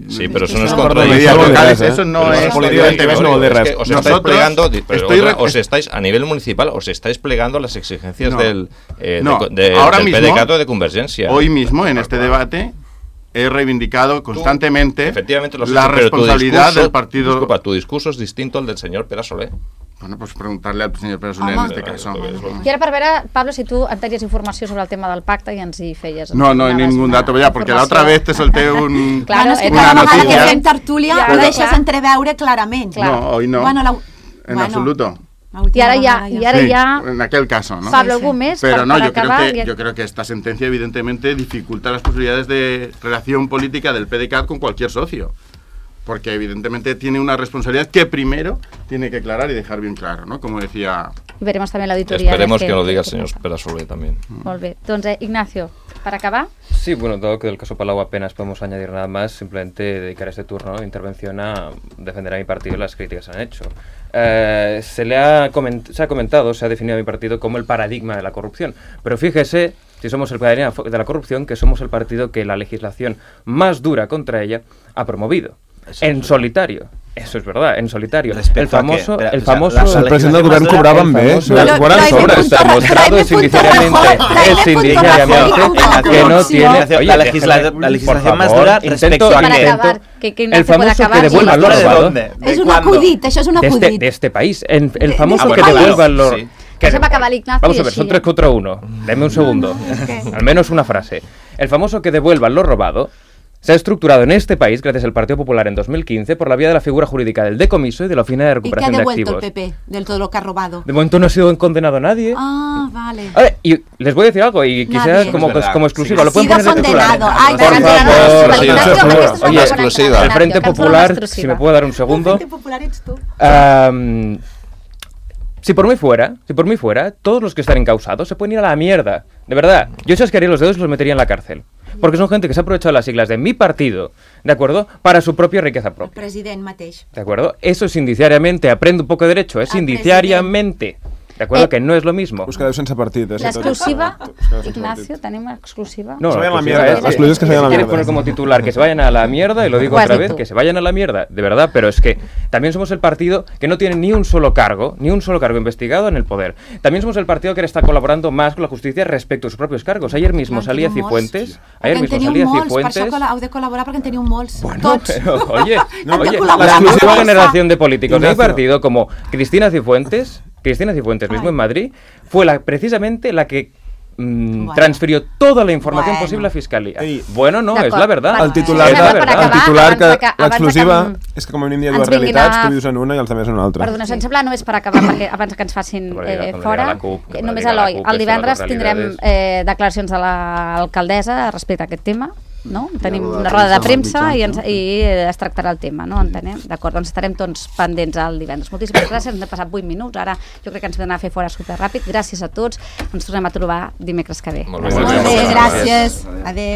Sí, pero eso no es contra locales, eso no es os estáis a nivel municipal, os estáis plegando a las exigencias del PDeCAT de Convergencia. Hoy mismo en este debate he reivindicado constantemente efectivamente la responsabilidad del partido. Disculpa, tu discurso es distinto al del señor Pere Soler. Bueno, pues preguntarle al señor Pere Soler en este caso. I ara per veure, Pablo, si tu en tenies informació sobre el tema del pacte i ens hi feies... No hay ningún dato ya, porque la otra vez te solté una noticia. Que fem tertúlia ho deixes entreveure clarament. No, hoy no, en absoluto. Y ahora ya en aquel caso, ¿no? Pablo, ¿algún mes? Pero no, yo creo que esta sentencia evidentemente dificulta las posibilidades de relación política del PDeCAT con cualquier socio, porque evidentemente tiene una responsabilidad que primero tiene que aclarar y dejar bien claro, ¿no? Como decía... Veremos también la auditoría. Esperemos que lo diga el señor Pere Soler también. Molt bé. Doncs, Ignacio, para acabar... Sí, bueno, dado que del caso Palau apenas podemos añadir nada más, simplemente dedicar este turno de intervención a defender a mi partido y las críticas que se han hecho. Se ha comentado, se ha definido a mi partido como el paradigma de la corrupción, pero fíjese, si somos el paradigma de la corrupción, que somos el partido que la legislación más dura contra ella ha promovido, en solitario. Eso es verdad, en solitario. El famoso... El president del govern cobraven bé. Está demostrado es indiciariamente que no tiene... La legislación más dura respecto a el famoso que devuelva lo robado. És un acudit, això és un acudit. De este país. El famoso que devuelva lo... Eso va a acabar Ignacio. Vamos a ver, son 3 contra 1. Deme un segundo. Al menos una frase. El famoso que devuelva lo robado se ha estructurado en este país gracias al Partido Popular en 2015 por la vía de la figura jurídica del decomiso y de la oficina de recuperación de activos. ¿Y qué ha devuelto el PP del todo lo que ha robado? De momento no ha sido condenado nadie. Ah, vale. A ver, y les voy a decir algo, y quizás como exclusiva. Lo pueden poner de titular. Por favor. Oye, exclusiva. El Frente Popular, si me puedo dar un segundo. El Frente Popular eres tú. Si por mí fuera, todos los que están encausados se pueden ir a la mierda. De verdad, yo chasquearía los dedos y los metería en la cárcel. Porque son gente que se ha aprovechado las siglas de mi partido, ¿de acuerdo?, para su propia riqueza propia. El president mateix. ¿De acuerdo? Eso es indiciariamente, aprende un poco de derecho, es indiciariamente. ¿De acuerdo? Que no es lo mismo. Us quedeu sense partit. L'exclusiva, Ignacio, tenim exclusiva. No, se vayan a la mierda. Exclusiva que se vayan a la mierda. Quieres poner como titular que se vayan a la mierda, y lo digo otra vez, que se vayan a la mierda, de verdad, pero es que también somos el partido que no tiene ni un solo cargo investigado en el poder. También somos el partido que está colaborando más con la justicia respecto a sus propios cargos. Ayer mismo salía Cifuentes. Per això heu de col·laborar perquè en teniu molts. Bueno, pero, oye, la exclusiva generación de políticos de mi partido, como Cristina Cifuentes mismo en Madrid, fue precisamente la que transfirió toda la información posible a Fiscalía. Bueno, no, és la verdad. El titular que l'exclusiva és que com a mínim hi ha dues realitats, tu vius en una i els altres en una altra. Perdona, em sembla només per acabar, perquè abans que ens facin fora, només Eloi, el divendres tindrem declaracions de l'alcaldessa respecte a aquest tema, no? Tenim una roda de premsa i es tractarà el tema, no? Entenem? D'acord, doncs estarem tots pendents el divendres. Moltíssimes gràcies, ens hem passat 8 minuts, ara jo crec que ens hem d'anar a fer fora superràpid. Gràcies a tots, ens tornem a trobar dimecres que ve. Molt bé, gràcies. Adéu.